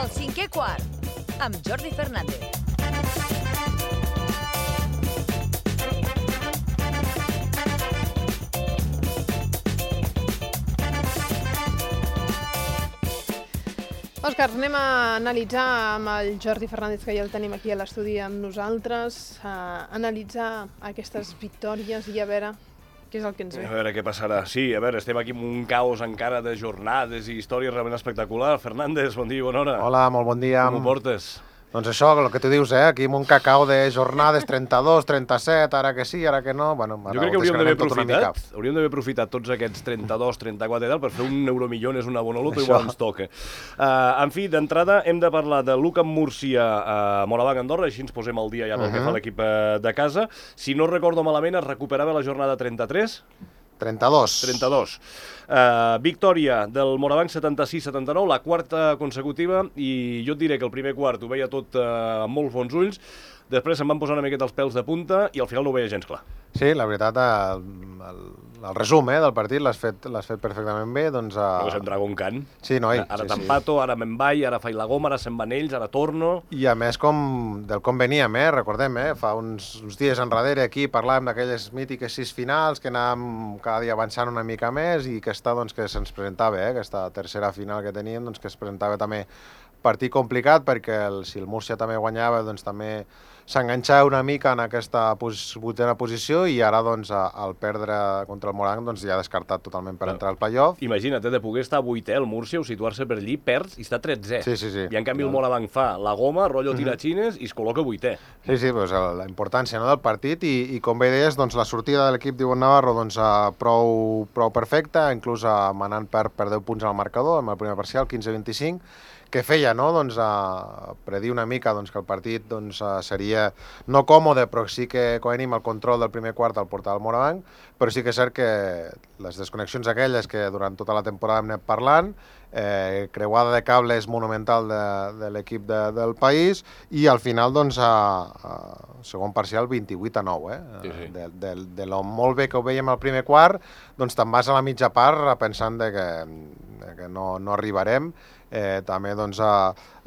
El cinquè quart, amb Jordi Fernández. Òscar, anem a analitzar amb el Jordi Fernández, que ja el tenim aquí a l'estudi amb nosaltres, analitzar aquestes victòries i a veure què és el que ens ve. A veure què passarà. Sí, a veure, estem aquí amb un caos encara de jornades i històries realment espectacular. Fernández, bon dia i bona hora. Hola, molt bon dia. Com ho portes? Doncs això, el que tu dius, aquí amb un cacao de jornades, 32, 37, ara que sí, ara que no... Bueno, jo crec que hauríem d'haver aprofitat tots aquests 32, 34 i tal per fer un euromillones, una bona loto, igual ens toca. En fi, d'entrada hem de parlar de l'UCAM Múrcia a Moravang, Andorra, així ens posem al dia ja pel que fa l'equip de casa. Si no recordo malament, es recuperava la jornada 33? 32. Victòria del Moravang 76-79, la quarta consecutiva, i jo et diré que el primer quart ho veia tot amb molts bons ulls, després se'm van posar una miqueta els pèls de punta i al final no ho veia gens clar. Sí, la veritat, el resum del partit l'has fet perfectament bé. Doncs, no se'n trago un cant. Sí, noi. Ara t'empato, ara me'n vaig, ara faig la goma, ara se'n van ells, ara torno... I a més, com veníem, recordem, fa uns dies enrere aquí parlàvem d'aquelles mítiques 6 finals que anàvem cada dia avançant una mica més i que se'ns presentava, aquesta tercera final que teníem, doncs que es presentava també partit complicat perquè si el Múrcia també guanyava, doncs també s'enganxava una mica en aquesta vuitena posició i ara, doncs, al perdre contra el Moravang, doncs ja ha descartat totalment per entrar al play-off. Imagina't, de poder estar 8è el Múrcia o situar-se per allí, perds i està 13è. Sí. I en canvi el Moravang fa la goma, rotllo tirachines i es col·loca 8è. Sí, doncs la importància del partit i com bé deies, doncs la sortida de l'equip d'Ivonne Navarro doncs prou perfecta, inclús manant per 10 punts al marcador, amb el primer parcial, 15-25, que feia, no?, doncs, predir una mica doncs, que el partit doncs, seria no còmode, però sí que com a mínim el control del primer quart el portava el Moravang, però sí que és cert que les desconnexions aquelles que durant tota la temporada hem anat parlant, creuada de cables monumental de l'equip del país, i al final, doncs, segon parcial 28-9, Sí. de lo molt bé que ho veiem al primer quart, doncs te'n vas a la mitja part pensant que no arribarem. També doncs,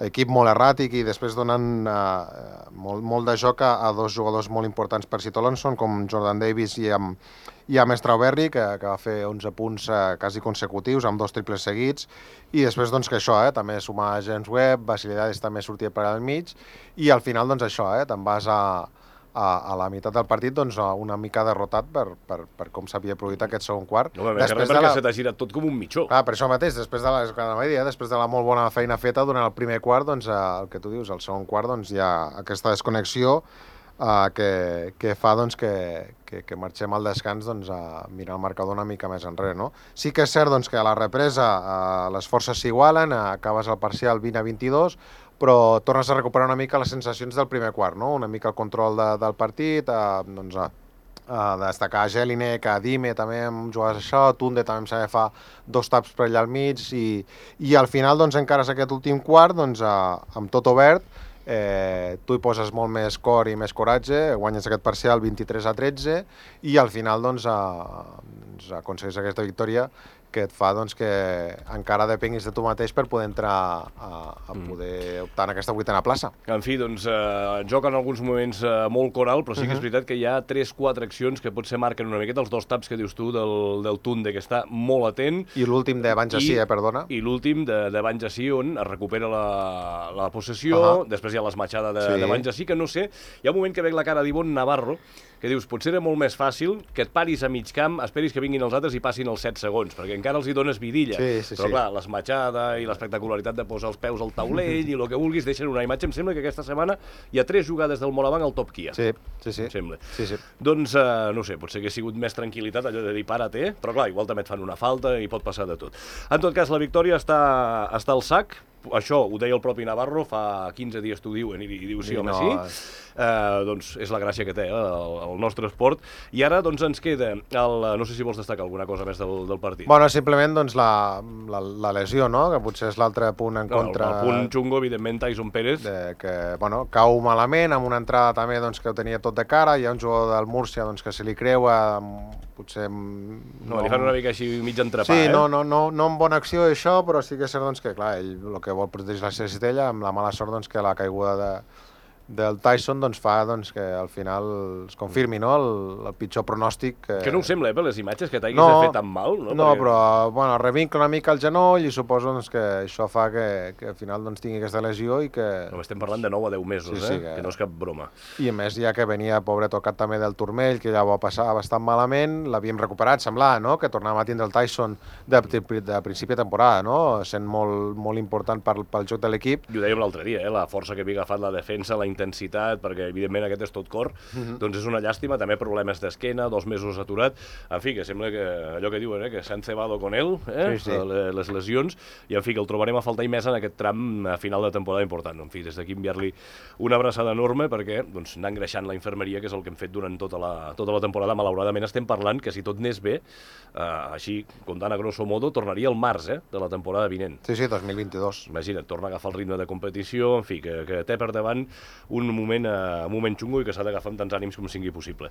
equip molt erràtic i després donen molt de joc a dos jugadors molt importants per Citolonson, com Jordan Davis i amb Strawberry, que va fer 11 punts quasi consecutius, amb 2 triples seguits, i després doncs, que això, també sumar James Webb, Basilidades també sortia per al mig, i al final doncs, això, te'n vas a la meitat del partit doncs, una mica derrotat per com s'havia produït aquest segon quart. No, perquè se t'ha girat tot com un mitjó. Per això mateix, després de la molt bona feina feta durant el primer quart, doncs, el que tu dius, el segon quart, doncs, hi ha aquesta desconnexió que fa doncs, que marxem al descans doncs, a mirar el marcador una mica més enrere. No? Sí que és cert doncs, que a la represa les forces s'igualen, acabes el parcial 20-22, però tornes a recuperar una mica les sensacions del primer quart, no? Una mica el control del partit, doncs, a destacar Jelinek, a Dime també amb jugades això, Tunde també em sembla que fa 2 taps per allà al mig, i al final doncs, encara és aquest últim quart, doncs, amb tot obert, tu hi poses molt més cor i més coratge, guanyes aquest parcial 23-13 i al final doncs, aconsegueix aquesta victòria que et fa doncs, que encara depenguis de tu mateix per poder entrar a poder optar en aquesta vuitena plaça. En fi, doncs, joc en alguns moments molt coral, però sí que és veritat que hi ha 3-4 accions que potser marquen una miqueta, els 2 taps que dius tu del Tunde, que està molt atent. I l'últim de Banjassi, perdona. I l'últim de Banjassi, on es recupera la possessió, després hi ha l'esmatxada de Banjassi, que no sé, hi ha un moment que veig la cara d'Ivonne Navarro, que dius, potser era molt més fàcil que et paris a mig camp, esperis que vinguin els altres i passin els 7 segons, perquè encara els hi dones vidilla. Però clar, l'esmatxada i l'espectacularitat de posar els peus al taulell i el que vulguis deixen una imatge. Em sembla que aquesta setmana hi ha 3 jugades del Moravang al Top Kia. Sí. Em sembla. Sí. Doncs, no sé, potser que ha sigut més tranquil·litat, allò de dir para't, però clar, igual també et fan una falta i pot passar de tot. En tot cas, la victòria està al sac. Això ho deia el propi Navarro, fa 15 dies t'ho diuen i diu sí, home, sí. Doncs és la gràcia que té el nostre esport. I ara doncs ens queda, no sé si vols destacar alguna cosa més del partit. Bueno, simplement doncs, la lesió, no? Que potser és l'altre punt en contra. El punt xungo, evidentment, Tyson Pérez. Que, cau malament, amb una entrada també doncs, que ho tenia tot de cara. Hi ha un jugador del Múrcia doncs, que se li creua, potser... No, li fan una mica així mig entrepà, Sí, no en bona acció això, però sí que és cert doncs, que clar, ell el que que vol protegir la seva cistella, amb la mala sort doncs, que la caiguda del Tyson doncs, fa doncs, que al final es confirmi, no?, el pitjor pronòstic. Que no ho sembla, per les imatges, que t'haguis de fer tan mal, no? No, però bueno, revinca una mica el genoll i suposo doncs, que això fa que al final doncs, tingui aquesta lesió i que... No, estem parlant de 9 a 10 mesos, sí, que no és cap broma. I a més, ja que venia, pobre, tocat també del turmell, que ja va passar bastant malament, l'havíem recuperat, semblava, no?, que tornàvem a tindre el Tyson de principi de temporada, no?, sent molt, molt important pel joc de l'equip. I ho dèiem l'altre dia, la força que havia agafat la defensa, la intensitat, perquè evidentment aquest és tot cor, doncs és una llàstima, també problemes d'esquena, 2 mesos aturat, en fi, que sembla que allò que diuen, que s'han cebado con ell, les lesions, i en fi, que el trobarem a faltar i més en aquest tram final de temporada important. En fi, des d'aquí enviar-li una abraçada enorme perquè doncs, anar engreixant la infermeria, que és el que hem fet durant tota la temporada. Malauradament estem parlant que si tot anés bé, així, comptant a grosso modo, tornaria al març de la temporada vinent. Sí, 2022. Imagina't, torna a agafar el ritme de competició, en fi, que té per davant un moment xungo i que s'ha d'agafar amb tants ànims com sigui possible.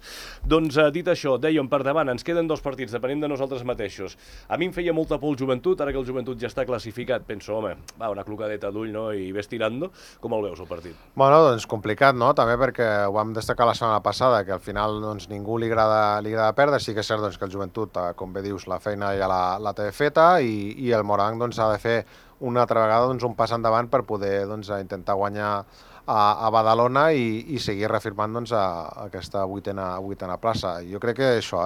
Doncs, dit això, dèiem, per davant, ens queden 2 partits, depenent de nosaltres mateixos. A mi em feia molta por el Joventut, ara que el Joventut ja està classificat, penso, home, va, una clocadeta d'ull, no?, i ves tirando. Com el veus, el partit? Bueno, doncs complicat, no?, també perquè ho vam destacar la setmana passada, que al final doncs, ningú li agrada perdre. Sí que és cert doncs, que el Joventut, com bé dius, la feina ja la té feta i el Moranc doncs, ha de fer una altra vegada doncs, un pas endavant per poder doncs, intentar guanyar a Badalona i seguir reafirmant doncs, aquesta vuitena plaça. Jo crec que això,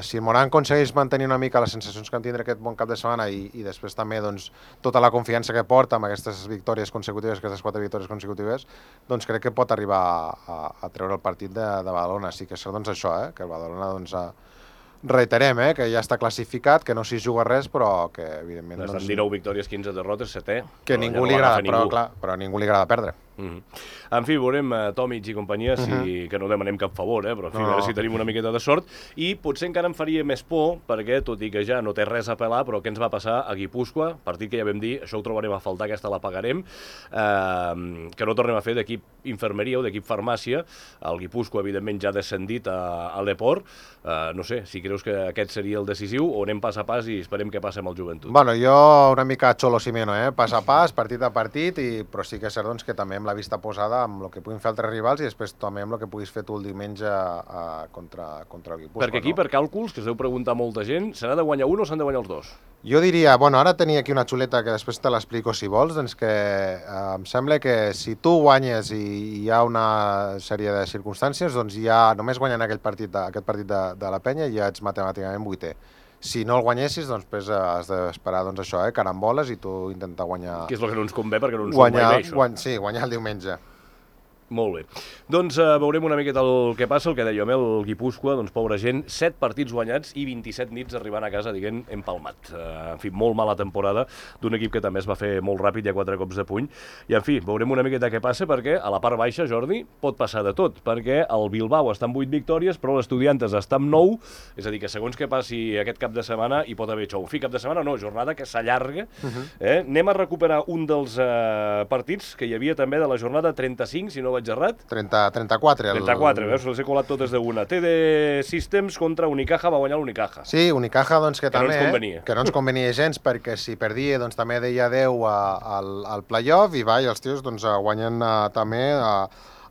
si el Moranc aconsegueix mantenir una mica les sensacions que vam tindre aquest bon cap de setmana i després també doncs, tota la confiança que porta amb aquestes victòries consecutives, aquestes 4 victòries consecutives, doncs crec que pot arribar a treure el partit de Badalona. Sí que és doncs, això, que el Badalona doncs, reiterem, que ja està classificat, que no s'hi juga res, però que evidentment... Estan 19 victòries, 15 derrotes, 7è. Que ningú li agrada, però ningú li agrada perdre. En fi, veurem Tomic i companyia, que no demanem cap favor, però en fi, a veure si tenim una miqueta de sort. I potser encara em faria més por, perquè tot i que ja no té res a pelar, però què ens va passar a Guipúscoa, partit que ja vam dir, això ho trobarem a faltar, aquesta la pagarem, que no tornem a fer d'equip infermeria o d'equip farmàcia. El Guipúscoa, evidentment, ja ha descendit a l'Eport. No sé, si creus que aquest seria el decisiu o anem pas a pas i esperem què passa amb el Joventut. Bueno, jo una mica Xolo Simeone, pas a pas, partit a partit, però sí que és cert doncs, que també amb la vista posada amb el que puguin fer altres rivals i després també amb el que puguis fer tu el diumenge contra el Guipúscoa. Perquè aquí, per càlculs, que es deu preguntar molta gent, se n'ha de guanyar un o s'han de guanyar els dos? Jo diria, bueno, ara tenia aquí una xuleta que després te l'explico si vols, doncs que em sembla que si tu guanyes i hi ha una sèrie de circumstàncies, doncs ja només guanyant aquest partit de la Penya ja ets matemàticament 8è. Si no el guanyessis, doncs després has d'esperar doncs, això, caramboles i tu intentar guanyar... Que és el que no ens convé perquè no ens surt mai bé, això. Sí, guanyar el diumenge. Molt bé. Doncs veurem una miqueta el que passa, el que dèiem, el Guipúscoa, doncs pobra gent, 7 partits guanyats i 27 nits arribant a casa, diguem, empalmat. En fi, molt mala temporada d'un equip que també es va fer molt ràpid, hi ha 4 cops de puny. I en fi, veurem una miqueta què passa perquè a la part baixa, Jordi, pot passar de tot, perquè el Bilbao està amb 8 victòries, però l'Estudiantes està amb 9, és a dir, que segons què passi aquest cap de setmana hi pot haver xou. En fi, cap de setmana no, jornada que s'allarga. Anem a recuperar un dels partits que hi havia també de la jornada 35, si no vaig errat. 34. 34, veus? Les he colat totes d'una. TD Systems contra Unicaja, va guanyar l'Unicaja. Sí, Unicaja, doncs que també... no ens convenia. Que no ens convenia gens, perquè si perdia, doncs també deia adeu al play-off, i els tios doncs, guanyen també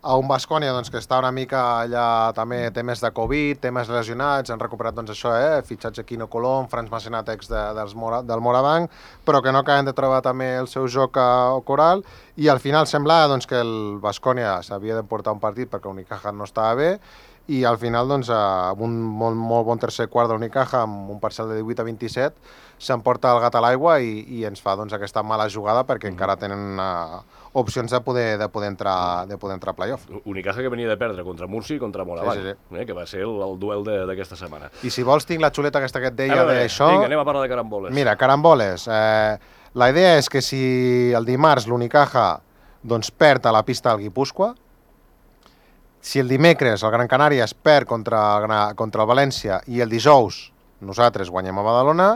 a un Baskonia doncs, que està una mica allà també temes de Covid, temes lesionats, han recuperat doncs, això, fitxatge Quino Colom, Franz Massenatex del Morabanc, però que no acaben de trobar també el seu joc coral, i al final semblava doncs, que el Baskonia s'havia de portar un partit perquè Unicaja no estava bé, i al final, doncs, amb un molt bon tercer quart de l'Unicaja, amb un parcial de 18-27, s'emporta el gat a l'aigua i ens fa doncs, aquesta mala jugada perquè encara tenen opcions de poder entrar a playoff. Unicaja que venia de perdre contra Murcia i contra Morabanc, sí. Que va ser el duel d'aquesta setmana. I si vols tinc la xuleta aquesta que et deia d'això... Vinga, anem a parlar de caramboles. Mira, caramboles. La idea és que si el dimarts l'Unicaja doncs, perd a la pista del Guipúscoa, si el dimecres el Gran Canària es perd contra el València i el dijous nosaltres guanyem a Badalona,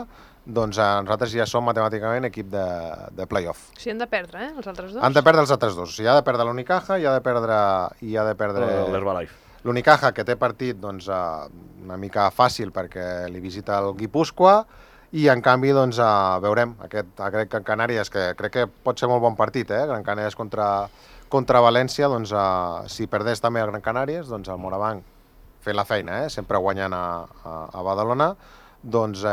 doncs nosaltres ja som matemàticament equip de play-off. O sigui, han de perdre, els altres dos? Han de perdre els altres dos. O sigui, ha de perdre l'Unicaja i ha de perdre l'Herbalife. L'Unicaja, que té partit doncs, una mica fàcil perquè li visita el Guipúscoa, i en canvi doncs, veurem aquest Gran Canàries, que crec que pot ser molt bon partit, Gran Canàries contra València, doncs, si perdés també el Gran Canàries, doncs el Morabanc fent la feina, sempre guanyant a Badalona, doncs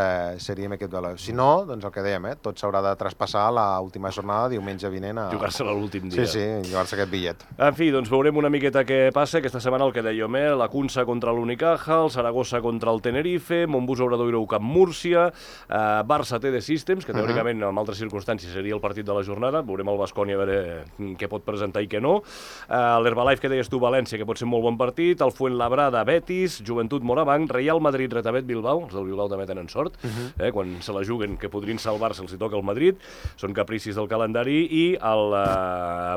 seríem equip de l'Oeu. Si no, doncs el que dèiem, tot s'haurà de traspassar l'última jornada, diumenge vinent. Jugar-se-la l'últim dia. Sí, jugar-se aquest bitllet. En fi, doncs veurem una miqueta què passa. Aquesta setmana el que dèiem, la Cunsa contra l'Unicaja, el Saragossa contra el Tenerife, Montbus Obradoiro Camp Múrcia, Barça TD Systems, que teòricament en altres circumstàncies seria el partit de la jornada. Veurem el Baskonia a veure què pot presentar i què no. L'Herbalife, que deies tu, València, que pot ser un molt bon partit. El Fuenlabrada, Betis, Joventut Morabanc, Real Madrid, Retavet, Bilbao. Els del Bilbao també tenen sort, quan se la juguen que podrien salvar-se els hi toca el Madrid, són capricis del calendari, i el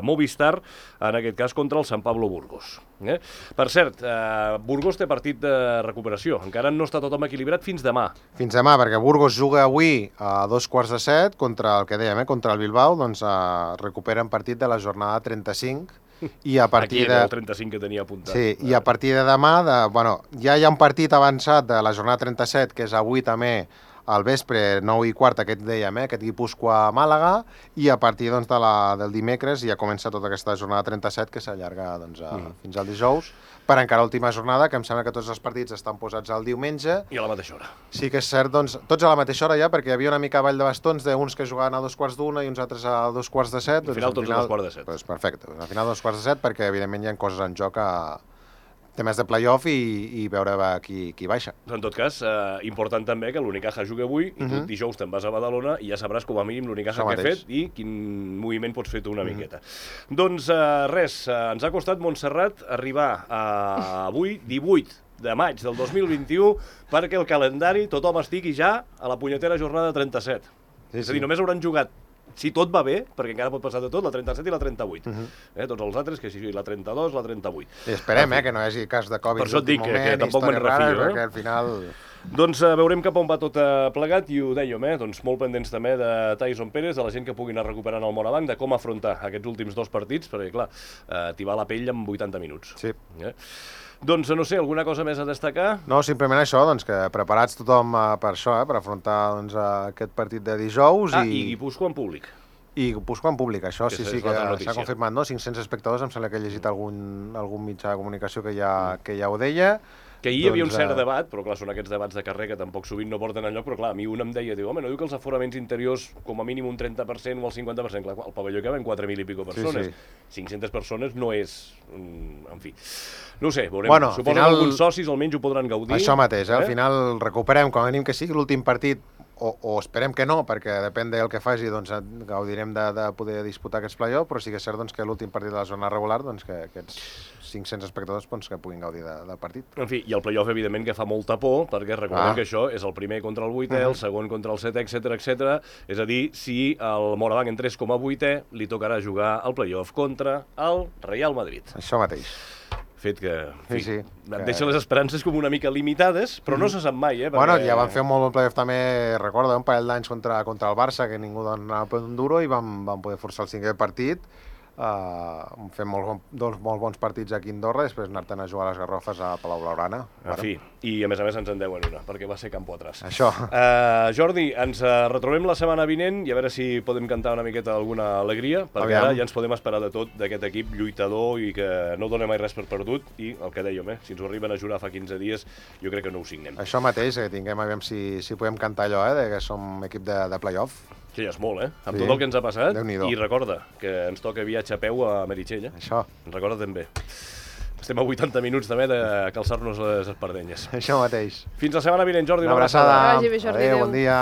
Movistar, en aquest cas, contra el Sant Pablo Burgos. Per cert, Burgos té partit de recuperació, encara no està tothom equilibrat fins demà. Fins demà, perquè Burgos juga avui a 6:45 contra el que dèiem, contra el Bilbao, doncs recuperen partit de la jornada 35, i a partir aquí era el 35 que tenia apuntat. Sí, i a partir de demà, ja hi ha un partit avançat de la jornada 37, que és avui també al vespre, 9:15, aquest dèiem, aquest Guipúscoa-Màlaga, i a partir doncs, del dimecres ja comença tota aquesta jornada 37, que s'allarga doncs, fins al dijous, per encara l'última jornada, que em sembla que tots els partits estan posats al diumenge. I a la mateixa hora. Sí que és cert, doncs, tots a la mateixa hora ja, perquè hi havia una mica ball de bastons d'uns que jugaven a 2:15 i uns altres a 2:45. Al final tots a 2:15. Doncs perfecte, al final 2:15, perquè evidentment hi ha coses en joc temes de play-off i veure qui baixa. En tot cas, important també que l'Unicaja jugui avui i tu dijous te'n vas a Badalona i ja sabràs com a mínim l'Unicaja que ha fet i quin moviment pots fer tu una miqueta. Doncs res, ens ha costat, Montserrat, arribar avui, 18 de maig del 2021, perquè el calendari tothom estigui ja a la punyetera jornada 37. És a dir, només hauran jugat, si tot va bé, perquè encara pot passar de tot, la 37 i la 38. Tots els altres, que sigui la 32, la 38. I esperem, que no hi hagi cas de Covid. Per això et dic que tampoc me'n refio. Perquè al final... Doncs veurem cap on va tot plegat i ho dèiem, doncs molt pendents també de Tyson Pérez, de la gent que pugui anar recuperant el Morabanc, de com afrontar aquests últims 2 partits, perquè clar, t'hi va la pell en 80 minuts. Sí. Doncs no sé, alguna cosa més a destacar? No, simplement això, doncs que preparats tothom per això, per afrontar doncs, aquest partit de dijous. I Guipúscoa en públic. I Guipúscoa en públic, això sí que s'ha confirmat, no? 500 espectadors, em sembla que he llegit algun mitjà de comunicació que ja ho deia. Que hi havia un cert debat, però clar, són aquests debats de carrer que tampoc sovint no porten enlloc, però clar, a mi un em deia, home, no diu que els aforaments interiors com a mínim un 30% o el 50%, clar, el pavelló que ven 4.000 i pico persones, 500 persones no és... En fi, no ho sé, veurem, suposo que alguns socis almenys ho podran gaudir. Això mateix, al final recuperem, com a mínim que sigui l'últim partit, o esperem que no, perquè depèn del que faci, doncs gaudirem de poder disputar aquests play-offs, però sí que és cert que l'últim partit de la zona regular, doncs que aquests 500 espectadors que puguin gaudir del partit. En fi, i el play-off evidentment que fa molta por, perquè recordem que això és el primer contra el 8è, el segon contra el 7è, etc. És a dir, si el Morabanc entrés com a 8è, li tocarà jugar el play-off contra el Real Madrid. Això mateix. Fet que, en fi, et deixa les esperances com una mica limitades, però no se sap mai, perquè... Bueno, ja van fer un molt bon playoff també, recorda, un parell d'anys contra el Barça, que ningú donava un duro, i van poder forçar el 5è partit, fent dos molt bons partits aquí a Andorra, després anar-te'n a jugar a les Garrofes a Palau Blaugrana. En fi, i a més ens en deuen una, perquè va ser campo atrás. Això. Jordi, ens retrobem la setmana vinent i a veure si podem cantar una miqueta alguna alegria, perquè ara ja ens podem esperar de tot d'aquest equip lluitador i que no dona mai res per perdut, i el que dèiem, si ens ho arriben a jurar fa 15 dies, jo crec que no ho signem. Això mateix, que tinguem, aviam si podem cantar allò, que som equip de play-off. Sí, ja és molt, amb tot el que ens ha passat. I recorda que ens toca viatge a peu a Meritxell, Això. Recorda també. Estem a 80 minuts també de calçar-nos les espardenyes. Això mateix. Fins la setmana vinent, Jordi. Una abraçada. Que vagi bé, Jordi. Adéu, bon dia.